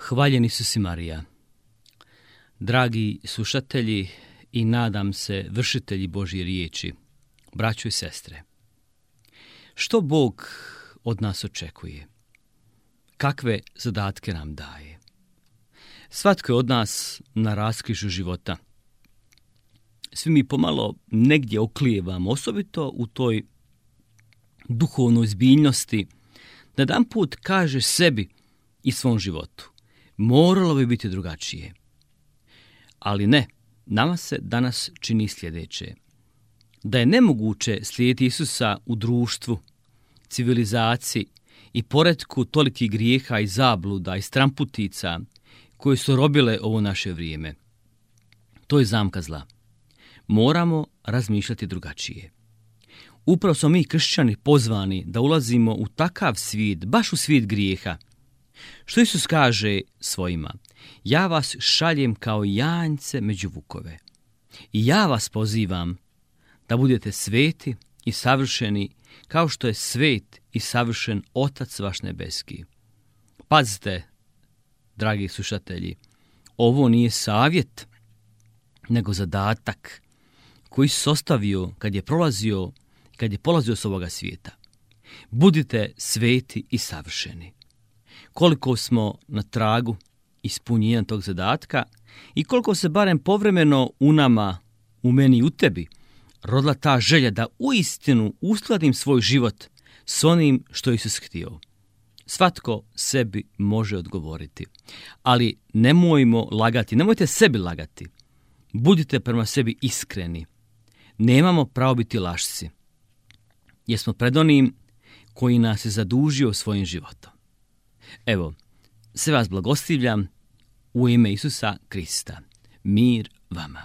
Hvaljeni su si Marija. Dragi slušatelji i nadam se vršitelji Božje riječi, braćo i sestre, što Bog od nas očekuje? Kakve zadatke nam daje? Svatko je od nas na raskrižju života. Svi mi pomalo negdje oklijevamo, osobito u toj duhovnoj zbiljnosti, da jedan put kažeš sebi i svom životu: moralo bi biti drugačije. Ali ne, nama se danas čini sljedeće: da je nemoguće slijediti Isusa u društvu, civilizaciji i poretku tolikih grijeha i zabluda i stramputica koje su robile ovo naše vrijeme. To je zamka zla. Moramo razmišljati drugačije. Upravo smo mi kršćani pozvani da ulazimo u takav svijet, baš u svijet grijeha. Što Isus kaže svojima: ja vas šaljem kao janjce među vukove. I ja vas pozivam da budete sveti i savršeni, kao što je svet i savršen Otac vaš nebeski. Pazite, dragi slušatelji, ovo nije savjet, nego zadatak koji se ostavio kad je polazio s ovoga svijeta. Budite sveti i savršeni. Koliko smo na tragu ispunjenja tog zadatka i koliko se barem povremeno u nama, u meni i u tebi, rodila ta želja da uistinu uskladim svoj život s onim što je Isus htio. Svatko sebi može odgovoriti, ali nemojmo lagati, nemojte sebi lagati. Budite prema sebi iskreni. Nemamo pravo biti lašci, jer smo pred onim koji nas je zadužio svojim životom. Evo, sve vas blagoslivljam u ime Isusa Krista. Mir vama.